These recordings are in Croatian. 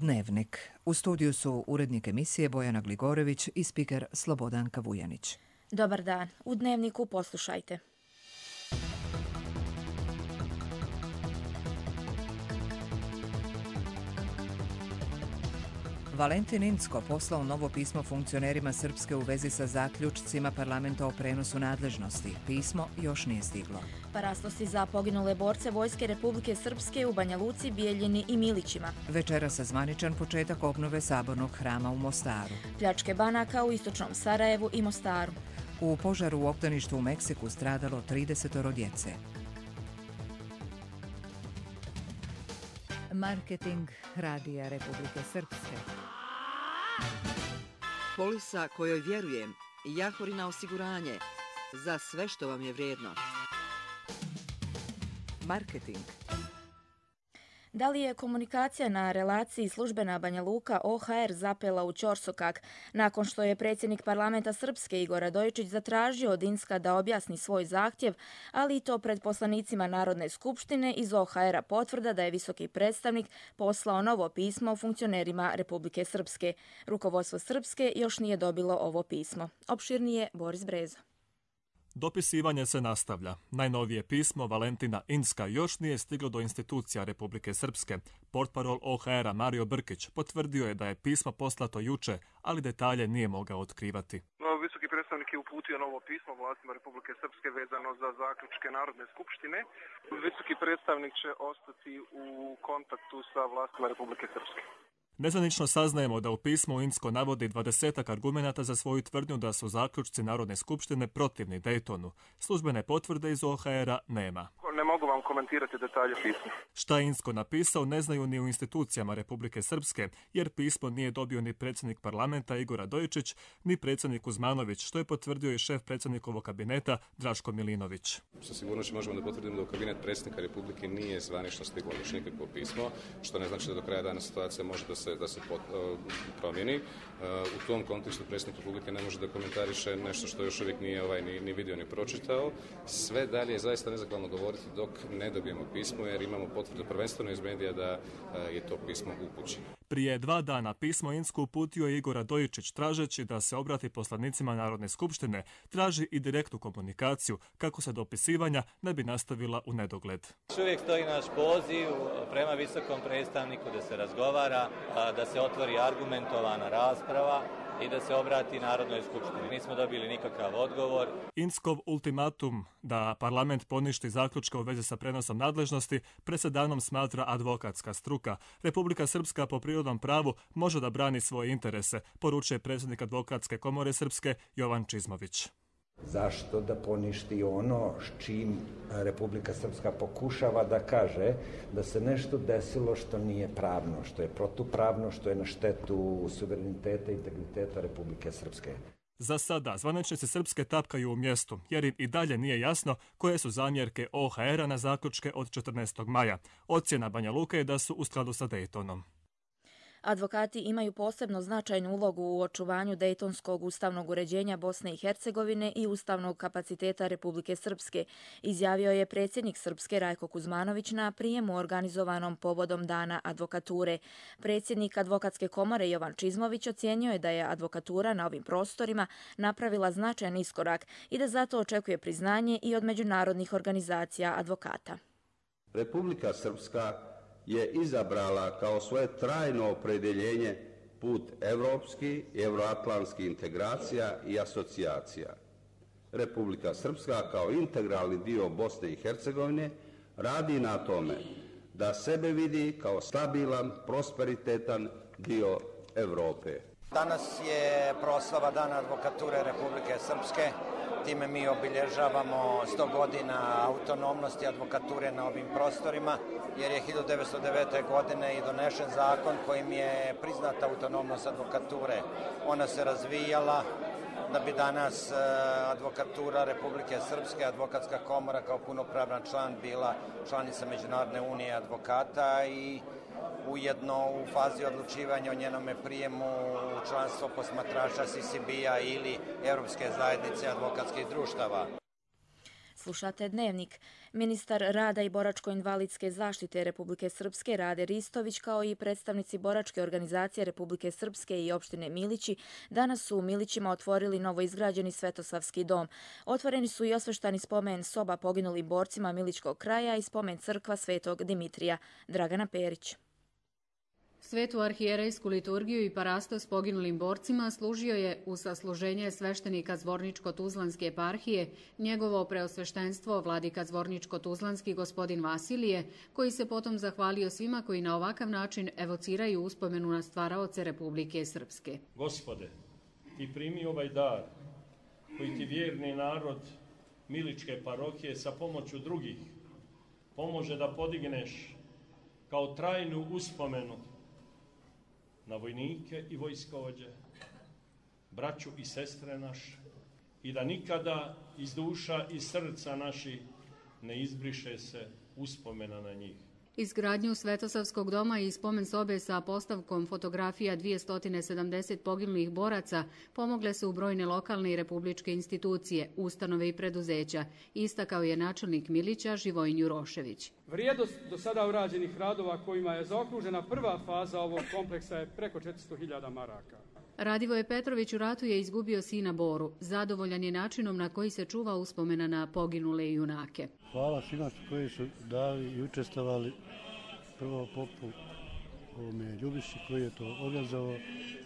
Dnevnik. U studiju su urednik emisije Bojana Gligorević i spiker Slobodanka Vujanić. Dobar dan. U Dnevniku poslušajte. Valentin Incko poslao novo pismo funkcionerima Srpske u vezi sa zaključcima parlamenta o prenosu nadležnosti. Pismo još nije stiglo. Paraslosti za poginule borce Vojske Republike Srpske u Banja Luci, Bijeljini i Milićima. Večeras zvaničan početak obnove Sabornog hrama u Mostaru. Pljačke banaka u istočnom Sarajevu i Mostaru. U požaru u obdaništu u Meksiku stradalo 30 djece. Marketing Radija Republike Srpske. Polisa kojoj vjerujem, Jahorina osiguranje, za sve što vam je vrijedno. Marketing. Da li je komunikacija na relaciji službena Banja Luka OHR zapela u ćorsokak nakon što je predsjednik parlamenta Srpske Igor Radojičić zatražio od Incka da objasni svoj zahtjev, ali i to pred poslanicima Narodne skupštine iz OHR-a potvrda da je visoki predstavnik poslao novo pismo funkcionerima Republike Srpske. Rukovodstvo Srpske još nije dobilo ovo pismo. Opširnije Boris Brezo. Dopisivanje se nastavlja. Najnovije pismo Valentina Incka još nije stiglo do institucija Republike Srpske. Portparol OHR-a Mario Brkić potvrdio je da je pismo poslato juče, ali detalje nije mogao otkrivati. Visoki predstavnik je uputio novo pismo vlastima Republike Srpske vezano za zaključke Narodne skupštine. Visoki predstavnik će ostati u kontaktu sa vlastima Republike Srpske. Nezvanično saznajemo da u pismu Incko navodi 20 argumenata za svoju tvrdnju da su zaključci Narodne skupštine protivni Daytonu. Službene potvrde iz OHR-a nema. Ne mogu vam komentirati detalje pisma. Šta je Incko napisao ne znaju ni u institucijama Republike Srpske, jer pismo nije dobio ni predsjednik parlamenta Igor Radojičić, ni predsjednik Kuzmanović, što je potvrdio i šef predsjednikovog kabineta Draško Milinović. Sa sigurnošću možemo da potvrdimo da u kabinet predsjednika Republike nije zvanično stiglo još nikakvo pismo, što ne znači da do kraja dana situacija može da se promijeni. U tom kontekstu predsjednik Republike ne može da komentariše nešto što još uvijek nije ni vidio ni pročitao. Sve dalje je zaista nezahvalno govoriti dok ne dobijemo pismo, jer imamo potvrdu prvenstveno iz medija da je to pismo upućeno. Prije 2 dana pismo Incku uputio je Igor Radojičić tražeći da se obrati poslanicima Narodne skupštine, traži i direktnu komunikaciju kako se dopisivanja ne bi nastavila u nedogled. Uvijek stoji naš poziv prema visokom predstavniku da se razgovara, da se otvori argumentovana rasprava i da se obrati Narodnoj skupštini. Nismo dobili nikakav odgovor. Inckov ultimatum da parlament poništi zaključke u vezi sa prenosom nadležnosti presedanom smatra advokatska struka. Republika Srpska po prirodnom pravu može da brani svoje interese, poručuje predsjednik Advokatske komore Srpske Jovan Čizmović. Zašto da poništi ono s čim Republika Srpska pokušava da kaže da se nešto desilo što nije pravno, što je protupravno, što je na štetu suvereniteta i integriteta Republike Srpske. Za sada zvaničnici Srpske tapkaju u mjestu, jer im i dalje nije jasno koje su zamjerke OHR-a na zaključke od 14. maja. Ocjena Banja Luke je da su u skladu sa Daytonom. Advokati imaju posebno značajnu ulogu u očuvanju dejtonskog ustavnog uređenja Bosne i Hercegovine i ustavnog kapaciteta Republike Srpske, izjavio je predsjednik Srpske Rajko Kuzmanović na prijemu organizovanom povodom Dana advokature. Predsjednik Advokatske komore Jovan Čizmović ocijenio je da je advokatura na ovim prostorima napravila značajan iskorak i da zato očekuje priznanje i od međunarodnih organizacija advokata. Republika Srpska je izabrala kao svoje trajno opredjeljenje put evropskih i euroatlantskih integracija i asocijacija. Republika Srpska kao integralni dio Bosne i Hercegovine radi na tome da sebe vidi kao stabilan, prosperitetan dio Europe. Danas je proslava Dana advokature Republike Srpske. Time mi obilježavamo 100 godina autonomnosti advokature na ovim prostorima, jer je 1909. godine i donešen zakon kojim je priznata autonomnost advokature. Ona se razvijala da bi danas advokatura Republike Srpske, Advokatska komora kao punopravan član bila članica Međunarodne unije advokata i ujedno u fazi odlučivanja o njenome prijemu u članstvo posmatrača CCB-a ili Europske zajednice advokatskih društava. Slušate Dnevnik. Ministar rada i boračko-invalidske zaštite Republike Srpske Rade Ristović kao i predstavnici boračke organizacije Republike Srpske i opštine Milići danas su u Milićima otvorili novoizgrađeni Svetosavski dom. Otvoreni su i osveštani spomen soba poginulim borcima Milićkog kraja i spomen crkva Svetog Dimitrija. Dragana Perić. Svetu arhijerejsku liturgiju i parastos poginulim borcima služio je u sasluženje sveštenika Zvorničko-Tuzlanske eparhije njegovo preosveštenstvo vladika Zvorničko-Tuzlanski gospodin Vasilije, koji se potom zahvalio svima koji na ovakav način evociraju uspomenu na stvaraoce Republike Srpske. Gospode, ti primi ovaj dar koji ti vjerni narod Miličke parohije sa pomoću drugih pomože da podigneš kao trajnu uspomenu na vojnike i vojskovođe, braću i sestre naše, i da nikada iz duša i srca naših ne izbriše se uspomena na njih. Izgradnju Svetosavskog doma i spomen sobe sa postavkom fotografija 270 poginulih boraca pomogle su u brojne lokalne i republičke institucije, ustanove i preduzeća, istakao je načelnik Milića Živojin Jurošević. Vrijednost do sada urađenih radova kojima je zaokružena prva faza ovog kompleksa je preko 400.000 maraka. Radivoje Petrović u ratu je izgubio sina Boru. Zadovoljan je načinom na koji se čuva uspomena na poginule junake. Hvala svima koji su dali i učestvovali. Prvo popu Ljubiši koji je to organizovao.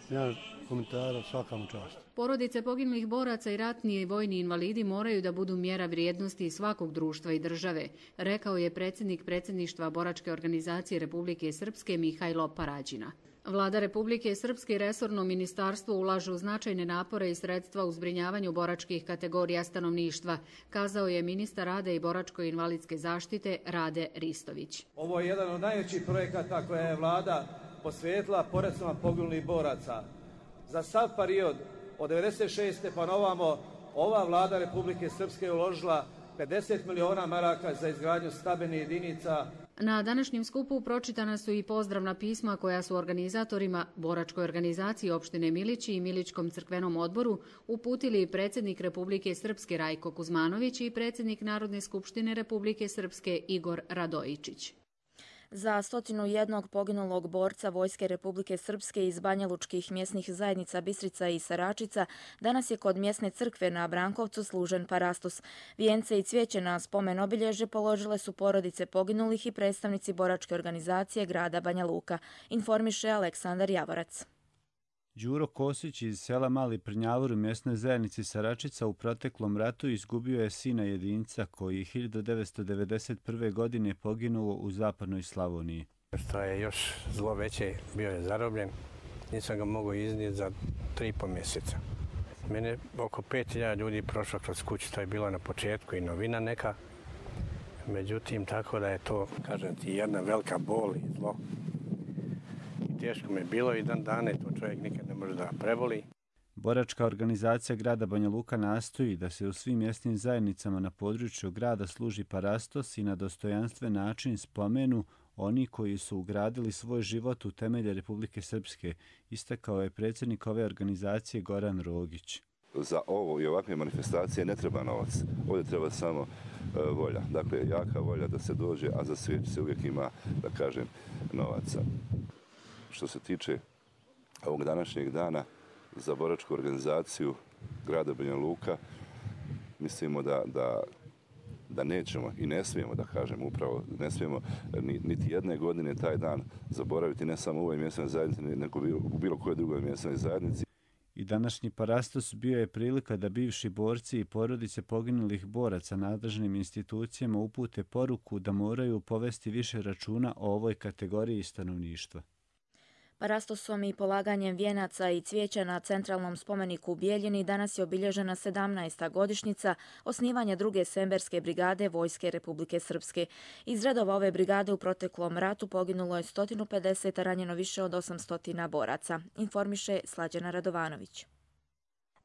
Nema komentara, svaka mu čast. Porodice poginulih boraca i ratni i vojni invalidi moraju da budu mjera vrijednosti svakog društva i države, rekao je predsjednik predsjedništva Boračke organizacije Republike Srpske Mihajlo Parađina. Vlada Republike Srpske i resorno ministarstvo ulažu značajne napore i sredstva u zbrinjavanju boračkih kategorija stanovništva, kazao je ministar rada i boračko-invalidske zaštite Rade Ristović. Ovo je jedan od najvećih projekata koje je vlada posvetila porodicama poginulih boraca. Za sav period od 96. pa novamo ova vlada Republike Srpske je uložila 50 miliona maraka za izgradnju stambenih jedinica. Na današnjem skupu pročitana su i pozdravna pisma koja su organizatorima Boračkoj organizaciji opštine Milići i Milićkom crkvenom odboru uputili predsjednik Republike Srpske Rajko Kuzmanović i predsjednik Narodne skupštine Republike Srpske Igor Radojičić. Za 101 poginulog borca Vojske Republike Srpske iz banjalučkih mjesnih zajednica Bistrica i Saračica danas je kod mjesne crkve na Brankovcu služen parastos. Vijence i cvijeće na spomen obilježje položile su porodice poginulih i predstavnici boračke organizacije grada Banja Luka, informiše Aleksandar Javorac. Đuro Kosić iz sela Mali Prnjavor u mjesnoj zajednici Saračica u proteklom ratu izgubio je sina jedinca koji 1991. godine poginuo u zapadnoj Slavoniji. Što je još zlo veće, bio je zarobljen, nisam ga mogao iznijeti za 3,5 mjeseca. Mene oko 5.000 ljudi prošlo kroz kuću, to je bilo na početku i novina neka. Međutim, tako da je to, kažem ti, jedna velika bol i zlo. Teško mi je bilo i dan dane, to čovjek nikad ne može da preboli. Boračka organizacija grada Banja Luka nastoji da se u svim mjesnim zajednicama na području grada služi parastos i na dostojanstven način spomenu oni koji su ugradili svoj život u temelje Republike Srpske, istakao je predsjednik ove organizacije Goran Rogić. Za ovo i ovakve manifestacije ne treba novac, ovdje treba samo volja. Dakle, jaka volja da se dođe, a za sve se uvijek ima, da kažem, novaca. Što se tiče ovog današnjeg dana za boračku organizaciju grada Banja Luka, mislimo da nećemo i ne smijemo, da kažem upravo, ne smijemo niti jedne godine taj dan zaboraviti, ne samo u ovoj mjesnoj zajednici, nego u bilo kojoj drugoj mjesnoj zajednici. I današnji parastos bio je prilika da bivši borci i porodice poginulih boraca nadležnim institucijama upute poruku da moraju povesti više računa o ovoj kategoriji stanovništva. Parastosom i polaganjem vijenaca i cvijeća na centralnom spomeniku u Bijeljini danas je obilježena 17. godišnjica osnivanja druge Semberske brigade Vojske Republike Srpske. Iz redova ove brigade u proteklom ratu poginulo je 150, a ranjeno više od 800 boraca, informiše Slađana Radovanović.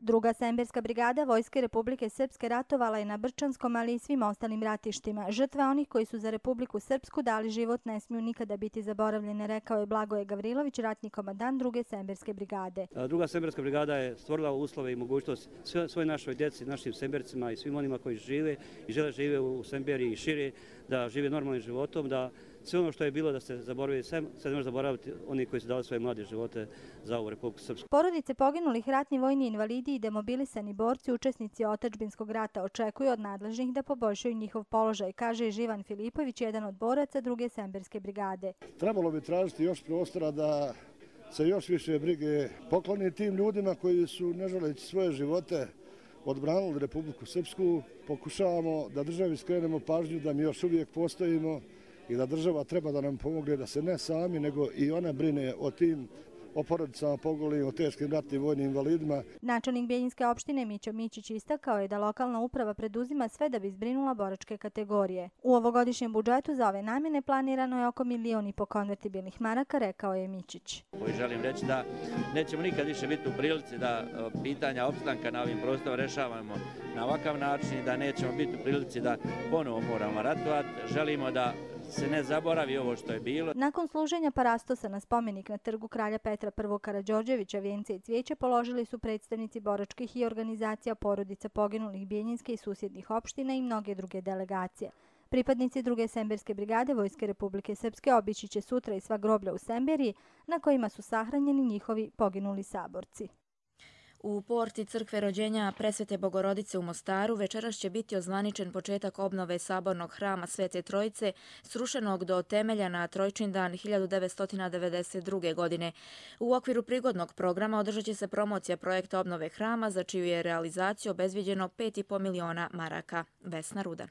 Druga Semberska brigada Vojske Republike Srpske ratovala je na Brčanskom, ali i svim ostalim ratištima. Žrtve onih koji su za Republiku Srpsku dali život ne smiju nikada biti zaboravljene, rekao je Blagoje Gavrilović, ratni komandant Druge Semberske brigade. Druga Semberska brigada je stvorila uslove i mogućnost svoj našoj djeci, našim Sembercima i svim onima koji žive i žele žive u Semberiji i šire, da žive normalnim životom, da sve ono što je bilo da se zaboravi, se ne može zaboraviti oni koji su dali svoje mlade živote za ovu Republiku Srpsku. Porodice poginulih, ratni vojni invalidi i demobilisani borci, učesnici otadžbinskog rata, očekuju od nadležnih da poboljšaju njihov položaj, kaže Živan Filipović, jedan od boraca Druge Semberske brigade. Trebalo bi tražiti još prostora da se još više brige pokloni tim ljudima koji su, ne želeći svoje živote, odbranili Republiku Srpsku. Pokušavamo da državi skrenemo pažnju da mi još uvijek postojimo i da država treba da nam pomogne da se ne sami, nego i ona brine o tim porodicama poginulih, o teškim ratnim vojnim invalidima. Načelnik Bijeljinske opštine Mićo Mićić istakao je da lokalna uprava preduzima sve da bi zbrinula boračke kategorije. U ovogodišnjem budžetu za ove namjene planirano je oko 1,5 miliona konvertibilnih maraka, rekao je Mićić. Želim reći da nećemo nikad više biti u prilici da pitanja opstanka na ovim prostorima rešavamo na ovakav način i da nećemo biti u prilici da ponovo moramo ratovati. Želimo da se ne zaboravi ovo što je bilo. Nakon služenja parastosa na spomenik na trgu kralja Petra I. Karađorđevića, vijence i cvijeće položili su predstavnici boračkih i organizacija porodica poginulih Bijeljinske i susjednih opština i mnoge druge delegacije. Pripadnici Druge Semberske brigade Vojske Republike Srpske obići će sutra i sva groblja u Semberiji na kojima su sahranjeni njihovi poginuli saborci. U porti crkve rođenja Presvete Bogorodice u Mostaru večeras će biti ozvaničen početak obnove sabornog hrama Svete Trojice, srušenog do temelja na Trojčindan 1992. godine. U okviru prigodnog programa održat će se promocija projekta obnove hrama, za čiju je realizaciju obezviđeno 5,5 miliona maraka. Vesna Rudan.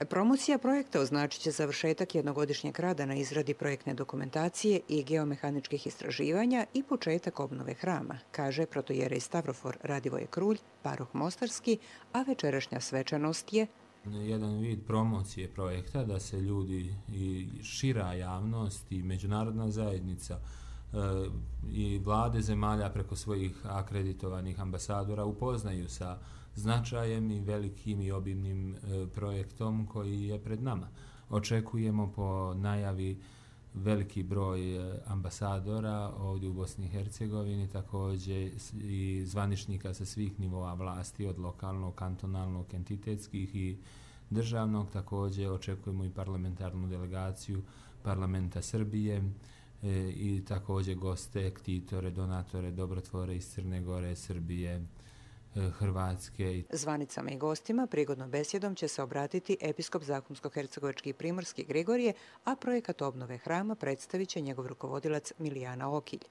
Promocija projekta označit će završetak jednogodišnjeg rada na izradi projektne dokumentacije i geomehaničkih istraživanja i početak obnove hrama, kaže protojerej Stavrofor Radivoje Krulj, paroh Mostarski, a večerašnja svečanost je jedan vid promocije projekta da se ljudi i šira javnost i međunarodna zajednica i vlade zemalja preko svojih akreditovanih ambasadora upoznaju sa značajem i velikim i obimnim projektom koji je pred nama. Očekujemo po najavi veliki broj ambasadora ovdje u Bosni i Hercegovini, također i zvaničnika sa svih nivoa vlasti, od lokalnog, kantonalnog, entitetskih i državnog. Također očekujemo i parlamentarnu delegaciju Parlamenta Srbije i također goste, ktitore, donatore, dobrotvore iz Crne Gore, Srbije, Hrvatske. Zvanicama i gostima prigodnom besjedom će se obratiti episkop Zahumsko-hercegovački i primorski Grigorije, a projekat obnove hrama predstavit će njegov rukovodilac Milijana Okilj.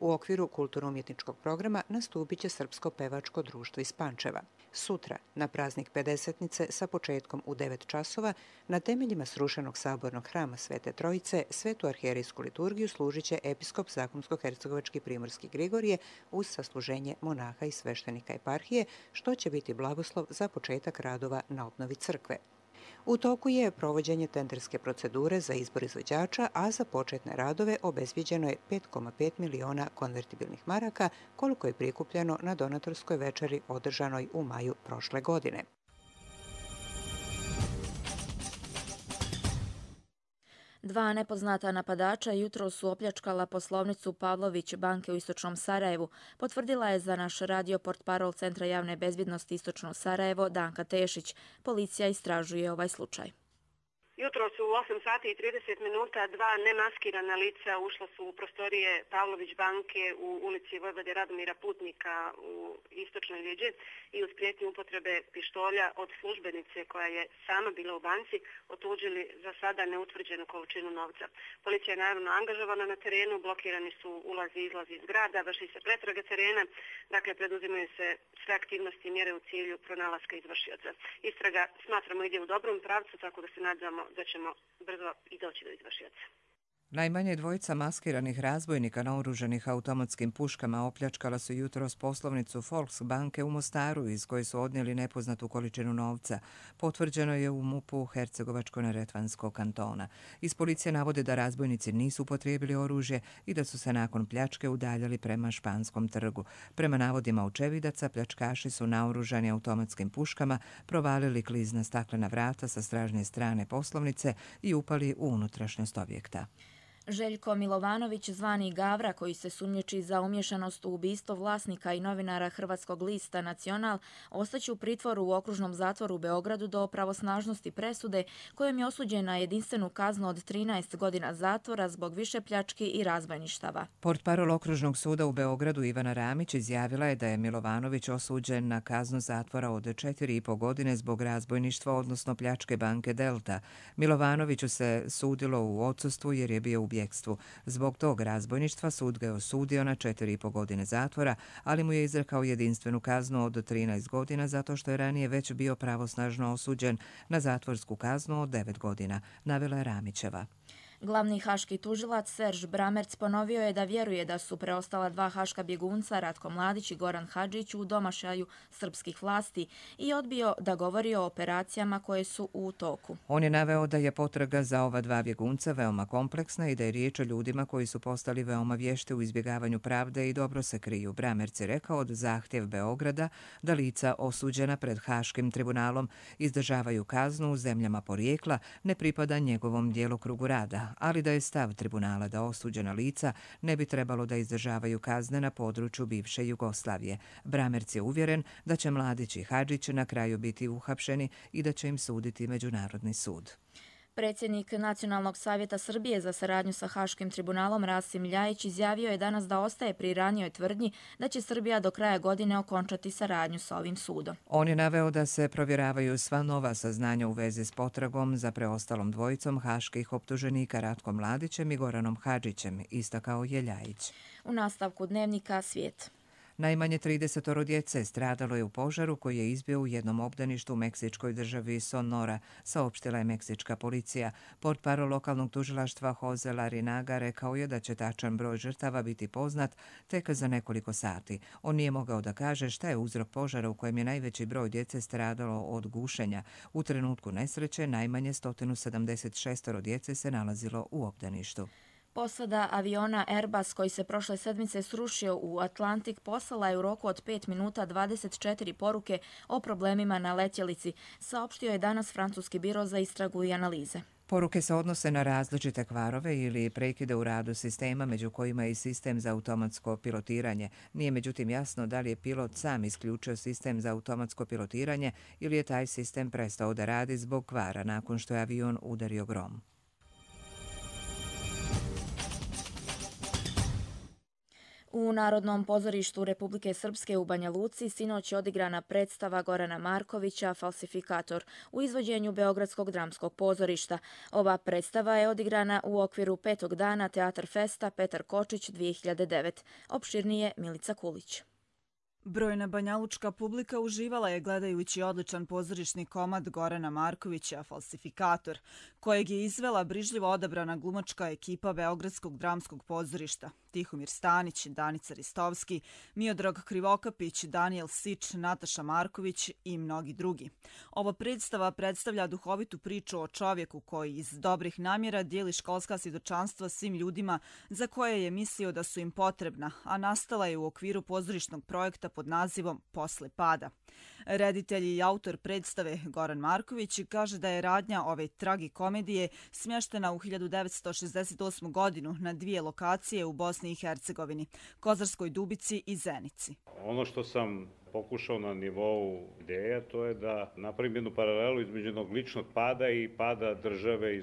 U okviru kulturno-umjetničkog programa nastupit će Srpsko pevačko društvo iz Pančeva. Sutra, na praznik Pedesetnice sa početkom u 9 časova, na temeljima srušenog sabornog hrama Svete Trojice, svetu arhijerejsku liturgiju služit će episkop Zahumsko-hercegovački primorski Grigorije uz sasluženje monaha i sveštenika eparhije, što će biti blagoslov za početak radova na obnovi crkve. U toku je provođenje tenderske procedure za izbor izvođača, a za početne radove obezviđeno je 5,5 miliona konvertibilnih maraka, koliko je prikupljeno na donatorskoj večeri održanoj u maju prošle godine. Dva nepoznata napadača jutro su opljačkala poslovnicu Pavlović banke u Istočnom Sarajevu, potvrdila je za naš radio portparol Centra javne bezbjednosti Istočno Sarajevo Danka Tešić. Policija istražuje ovaj slučaj. Jutro su u 8 sati i 30 minuta dva nemaskirana lica ušla su u prostorije Pavlović banke u ulici Vojvode Radomira Putnika u Istočnoj Ljeđi i uz prijetnju upotrebe pištolja od službenice koja je sama bila u banci otuđili za sada neutvrđenu količinu novca. Policija je naravno angažovana na terenu, blokirani su ulazi i izlazi iz grada, vrši se pretraga terena, dakle preduzimaju se sve aktivnosti i mjere u cilju pronalaska izvršioca. Istraga smatramo ide u dobrom pravcu, tako da se nadamo da ćemo brzo i doći do izvršioca. Najmanje dvojica maskiranih razbojnika naoružanih automatskim puškama opljačkala su jutros poslovnicu Volksbanke u Mostaru iz koje su odnijeli nepoznatu količinu novca. Potvrđeno je u MUP-u Hercegovačko-neretvanskog kantona. Iz policije navode da razbojnici nisu upotrijebili oružje i da su se nakon pljačke udaljali prema Španskom trgu. Prema navodima očevidaca, pljačkaši su naoružani automatskim puškama provalili klizna staklena vrata sa stražnje strane poslovnice i upali u unutrašnjost objekta. Željko Milovanović, zvani Gavra, koji se sumnjiči za umješanost u ubistvo vlasnika i novinara hrvatskog lista Nacional, ostaće u pritvoru u okružnom zatvoru u Beogradu do pravosnažnosti presude, kojom je osuđen na jedinstvenu kaznu od 13 godina zatvora zbog više pljački i razbojništava. Portparol okružnog suda u Beogradu Ivana Ramić izjavila je da je Milovanović osuđen na kaznu zatvora od 4,5 godine zbog razbojništva, odnosno pljačke banke Delta. Milovanoviću se sudilo u odsustvu jer je bio u bjekstvu. Zbog tog razbojništva sud ga je osudio na 4,5 godine zatvora, ali mu je izrekao jedinstvenu kaznu od 13 godina zato što je ranije već bio pravosnažno osuđen na zatvorsku kaznu od 9 godina, navela je Ramićeva. Glavni haški tužilac Serž Bramerc ponovio je da vjeruje da su preostala dva haška bjegunca Ratko Mladić i Goran Hadžić u domašaju srpskih vlasti i odbio da govori o operacijama koje su u toku. On je naveo da je potraga za ova dva bjegunca veoma kompleksna i da je riječ o ljudima koji su postali veoma vješti u izbjegavanju pravde i dobro se kriju. Bramerc je rekao da zahtjev Beograda da lica osuđena pred Haškim tribunalom izdržavaju kaznu u zemljama porijekla ne pripada njegovom djelokrugu rada, ali da je stav tribunala da osuđena lica ne bi trebalo da izdržavaju kazne na području bivše Jugoslavije. Bramerc je uvjeren da će Mladić i Hadžić na kraju biti uhapšeni i da će im suditi Međunarodni sud. Predsjednik Nacionalnog savjeta Srbije za saradnju sa Haškim tribunalom Rasim Ljajić izjavio je danas da ostaje pri ranijoj tvrdnji da će Srbija do kraja godine okončati saradnju sa ovim sudom. On je naveo da se provjeravaju sva nova saznanja u vezi s potragom za preostalom dvojicom haških optuženika Ratkom Mladićem i Goranom Hadžićem, istakao je Ljajić. U nastavku dnevnika Svijet. Najmanje 30 djece stradalo je u požaru koji je izbio u jednom obdaništu u meksičkoj državi Sonora, saopštila je meksička policija. Portparol lokalnog tužilaštva Jose Larinaga rekao je da će tačan broj žrtava biti poznat tek za nekoliko sati. On nije mogao da kaže šta je uzrok požara u kojem je najveći broj djece stradalo od gušenja. U trenutku nesreće najmanje 176 djece se nalazilo u obdaništu. Posada aviona Airbus koji se prošle sedmice srušio u Atlantik poslala je u roku od 5 minuta 24 poruke o problemima na letjelici, saopštio je danas francuski biro za istragu i analize. Poruke se odnose na različite kvarove ili prekide u radu sistema, među kojima je i sistem za automatsko pilotiranje. Nije međutim jasno da li je pilot sam isključio sistem za automatsko pilotiranje ili je taj sistem prestao da radi zbog kvara nakon što je avion udario grom. U Narodnom pozorištu Republike Srpske u Banja Luci sinoć je odigrana predstava Gorana Markovića Falsifikator u izvođenju Beogradskog dramskog pozorišta. Ova predstava je odigrana u okviru 5. dana Teatar Festa Petar Kočić 2009. Opširnije Milica Kulić. Brojna banjalučka publika uživala je gledajući odličan pozorišni komad Gorana Markovića Falsifikator, kojeg je izvela brižljivo odabrana glumačka ekipa Beogradskog dramskog pozorišta. Tihomir Stanić, Danica Ristovski, Miodrag Krivokapić, Daniel Sič, Nataša Marković i mnogi drugi. Ova predstava predstavlja duhovitu priču o čovjeku koji iz dobrih namjera dijeli školska svjedočanstva svim ljudima za koje je mislio da su im potrebna, a nastala je u okviru pozorišnog projekta pod nazivom Posle pada. Reditelj i autor predstave Goran Marković kaže da je radnja ove tragikomedije smještena u 1968. godinu na dvije lokacije u Bosni i Hercegovini, Kozarskoj Dubici i Zenici. Ono što sam pokušao na nivou ideja, to je da napravim jednu paralelu između jednog ličnog pada i pada države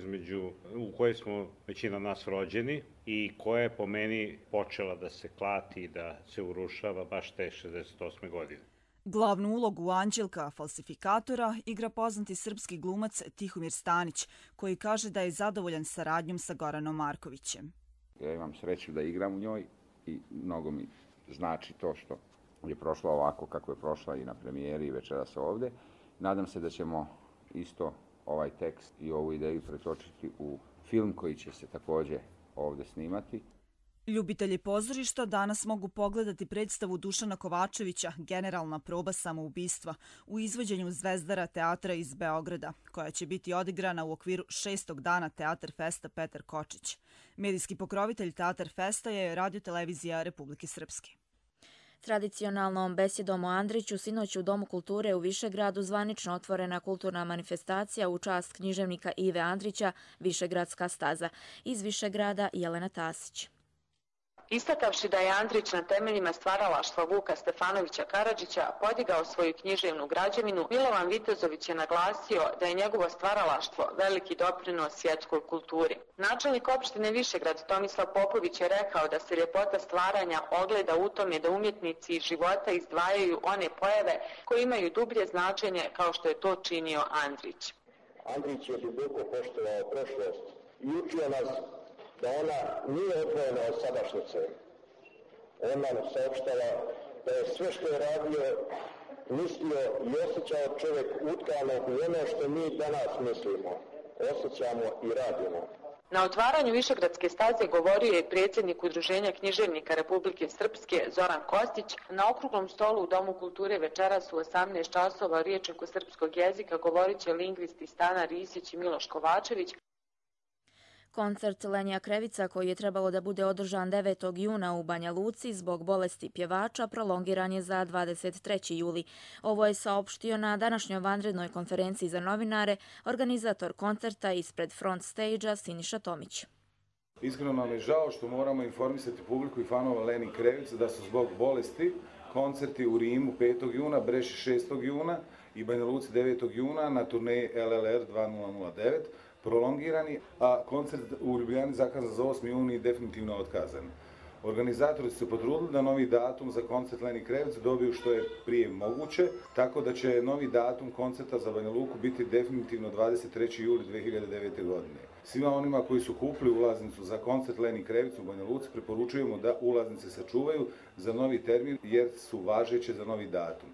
u kojoj smo većina nas rođeni i koja je po meni počela da se klati, da se urušava baš te 68. godine. Glavnu ulogu Anđelka Falsifikatora igra poznati srpski glumac Tihomir Stanić, koji kaže da je zadovoljan saradnjom sa Goranom Markovićem. Ja imam sreću da igram u njoj i mnogo mi znači to što je prošla ovako kako je prošla i na premijeri i večeras ovde. Nadam se da ćemo isto ovaj tekst i ovu ideju pretočiti u film koji će se također ovde snimati. Ljubitelji pozorišta danas mogu pogledati predstavu Dušana Kovačevića Generalna proba samoubistva u izvođenju Zvezdara teatra iz Beograda, koja će biti odigrana u okviru 6. dana Teatar Festa Petar Kočić. Medijski pokrovitelj Teatar Festa je Radio-televizija Republike Srpske. Tradicionalnom besedom o Andriću sinoć u Domu kulture u Višegradu zvanično otvorena kulturna manifestacija u čast književnika Ive Andrića Višegradska staza. Iz Višegrada Jelena Tasić. Istakavši da je Andrić na temeljima stvaralaštva Vuka Stefanovića Karadžića podigao svoju književnu građevinu, Milovan Vitezović je naglasio da je njegovo stvaralaštvo veliki doprinos svjetskoj kulturi. Načelnik opštine Višegrad Tomislav Popović je rekao da se ljepota stvaranja ogleda u tome da umjetnici iz života izdvajaju one pojave koje imaju dublje značenje kao što je to činio Andrić. Andrić je duboko poštovao prošlost i učio nas da ona nije odvojena od sadašnjice. On nam saopštava da je sve što je radio, mislio i osjećao čovjek utkano u ono što mi danas mislimo, osjećamo i radimo. Na otvaranju Višegradske staze govorio je predsjednik Udruženja književnika Republike Srpske Zoran Kostić. Na okruglom stolu u Domu kulture večeras u 18 časova o rječniku srpskog jezika govorit će lingvisti Stana Risić i Miloš Kovačević. Koncert Lenja Krevica, koji je trebalo da bude održan 9. juna u Banja Luci zbog bolesti pjevača, prolongiran je za 23. juli. Ovo je saopštio na današnjoj vanrednoj konferenciji za novinare organizator koncerta ispred front stage-a Siniša Tomić. Iskreno nam je žao što moramo informisati publiku i fanova Leni Krevice da su zbog bolesti koncerti u Rimu 5. juna, Breši 6. juna i Banja Luci 9. juna na turneji LLR 2009 prolongirani, a koncert u Ljubljani zakazan za 8. juni definitivno otkazan. Organizatori su se potrudili da novi datum za koncert Leni Krevice dobiju što je prije moguće, tako da će novi datum koncerta za Banja Luku biti definitivno 23. juli 2009. godine. Svima onima koji su kupili ulaznicu za koncert Leni Krevice u Banja Luci preporučujemo da ulaznice sačuvaju za novi termin jer su važeće za novi datum.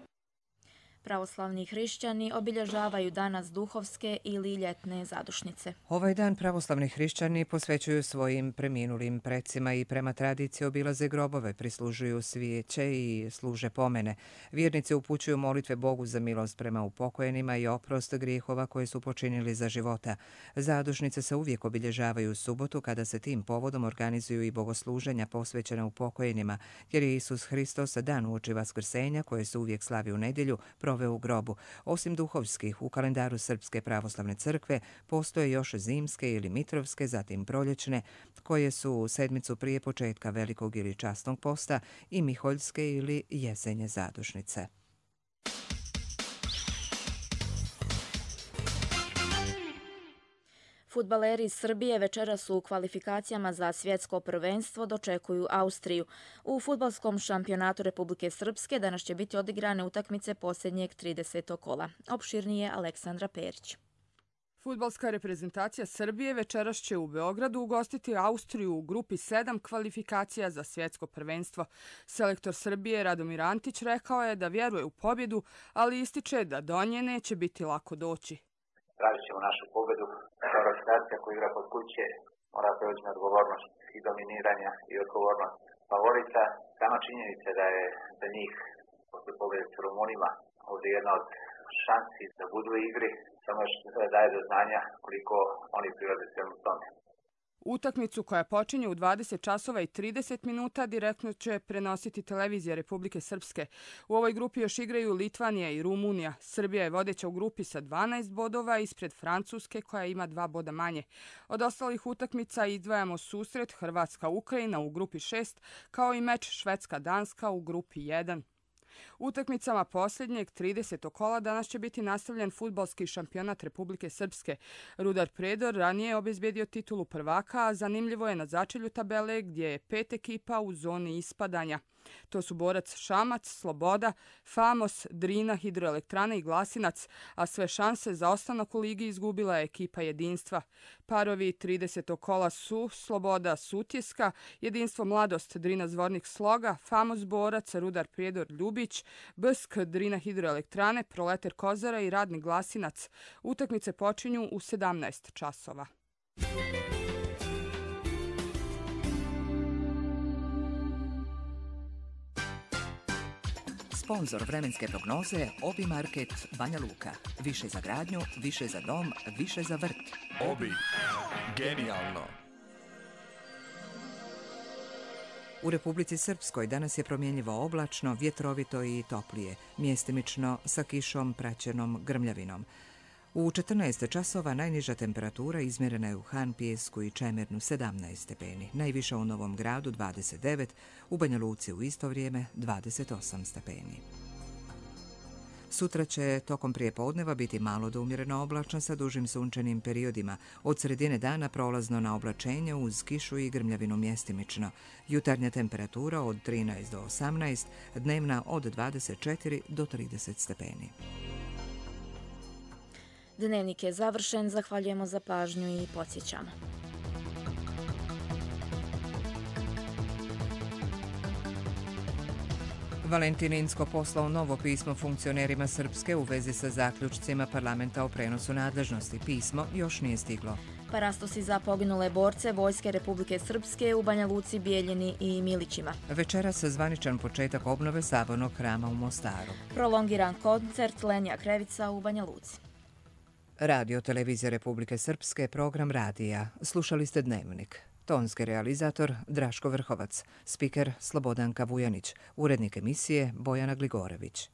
Pravoslavni hrišćani obilježavaju danas duhovske ili ljetne zadušnice. Ovaj dan pravoslavni hrišćani posvećuju svojim preminulim precima i prema tradiciji obilaze grobove, prislužuju svijeće i služe pomene. Vjernici upućuju molitve Bogu za milost prema upokojenima i oprost grijehova koje su počinili za života. Zadušnice se uvijek obilježavaju u subotu kada se tim povodom organizuju i bogosluženja posvećena upokojenima, jer je Isus Hristos dan uoči Vaskrsenja koje se uvijek slavi u nedjelju proveo u grobu. Osim duhovskih, u kalendaru Srpske pravoslavne crkve postoje još zimske ili mitrovske, zatim proljećne, koje su sedmicu prije početka velikog ili časnog posta, i miholjske ili jesenje zadušnice. Fudbaleri iz Srbije večeras u kvalifikacijama za svjetsko prvenstvo dočekuju Austriju. U fudbalskom šampionatu Republike Srpske danas će biti odigrane utakmice posljednjeg 30. kola. Opširnije Aleksandra Perić. Fudbalska reprezentacija Srbije večeras će u Beogradu ugostiti Austriju u grupi 7 kvalifikacija za svjetsko prvenstvo. Selektor Srbije Radomir Antić rekao je da vjeruje u pobjedu, ali ističe da do nje neće biti lako doći. Tražit ćemo našu pobjedu. Reprezentacija koja igra kod kuće mora preuzeti odgovornost i dominiranja i odgovornost favorita. Sama činjenica da je za njih posle pobjede s Rumunima ovdje jedna od šansi da budu u igri, samo što daje do znanja koliko oni prirode svemu tome. Utakmicu koja počinje u 20 časova i 30 minuta direktno će prenositi televizija Republike Srpske. U ovoj grupi još igraju Litvanija i Rumunija. Srbija je vodeća u grupi sa 12 bodova ispred Francuske koja ima 2 boda manje. Od ostalih utakmica izdvajamo susret Hrvatska-Ukrajina u grupi 6 kao i meč Švedska-Danska u grupi 1. Utakmicama posljednjeg 30. kola danas će biti nastavljen fudbalski šampionat Republike Srpske. Rudar Predor ranije je obezbedio titulu prvaka, a zanimljivo je na začelju tabele gdje je 5 ekipa u zoni ispadanja. To su Borac Šamac, Sloboda, Famos, Drina, Hidroelektrana i Glasinac, a sve šanse za ostanak u ligi izgubila je ekipa Jedinstva. Parovi 30. kola su Sloboda Sutjeska, Jedinstvo Mladost Drina Zvornik Sloga, Famos Borac, Rudar Prijedor Ljubić, Bsk Drina Hidroelektrane, Proleter Kozara i Radnik Glasinac. Utakmice počinju u 17 časova. Sponzor vremenske prognoze Obi Market Banja Luka. Više za gradnju, više za dom, više za vrt. Obi. Genijalno. U Republici Srpskoj danas je promjenjivo oblačno, vjetrovito i toplije, mjestimično sa kišom praćenom grmljavinom. U 14 časova najniža temperatura izmjerena je u Han, Pijesku i Čemernu 17 stepeni, najviša u Novom Gradu 29, u Banja Luci u isto vrijeme 28 stepeni. Sutra će tokom prijepodneva biti malo do umjereno oblačno sa dužim sunčanim periodima. Od sredine dana prolazno na oblačenje uz kišu i grmljavinu mjestimično. Jutarnja temperatura od 13 do 18, dnevna od 24 do 30 stepeni. Dnevnik je završen, zahvaljujemo za pažnju i podsjećamo. Valentin Incko poslao novo pismo funkcionerima Srpske u vezi sa zaključcima parlamenta o prenosu nadležnosti. Pismo još nije stiglo. Parastosi za poginule borce Vojske Republike Srpske u Banja Luci, Bijeljini i Milićima. Večeras zvaničan početak obnove Sabornog hrama u Mostaru. Prolongiran koncert Lenja Krevica u Banja Luci. Radio Televizija Republike Srpske, program radija. Slušali ste Dnevnik. Tonski realizator Draško Vrhovac, spiker Slobodanka Vujanić, urednik emisije Bojana Gligorević.